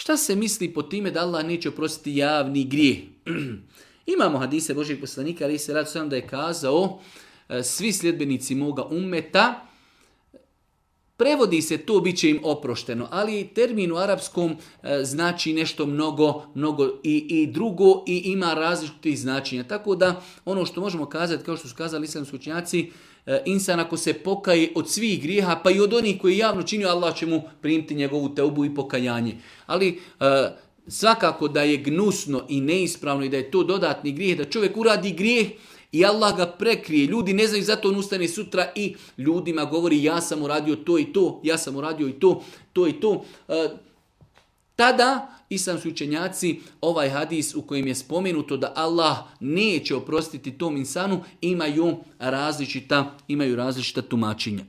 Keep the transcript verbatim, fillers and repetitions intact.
Šta se misli po time da Allah neće oprostiti javni grijeh? Imamo hadise Božijeg poslanika, ali se radi sam da je kazao svi sljedbenici moga ummeta, prevodi se to, bit će im oprošteno, ali termin u arapskom e, znači nešto mnogo, mnogo i, i drugo i ima različitih značenja. Tako da ono što možemo kazati, kao što su kazali islamski učenjaci, e, insan ako se pokaje od svih grijeha, pa i od onih koji javno činio, Allah će mu primiti njegovu teubu i pokajanje. Ali e, svakako da je gnusno i neispravno i da je to dodatni grijeh, da čovjek uradi grijeh i Allah ga prekrije. Ljudi ne znaju, zato on ustane sutra i ljudima govori ja sam uradio to i to, ja sam uradio i to, to i to. E, tada islamski učenjaci ovaj hadis u kojem je spomenuto da Allah neće oprostiti tom insanu imaju različita, imaju različita tumačenja.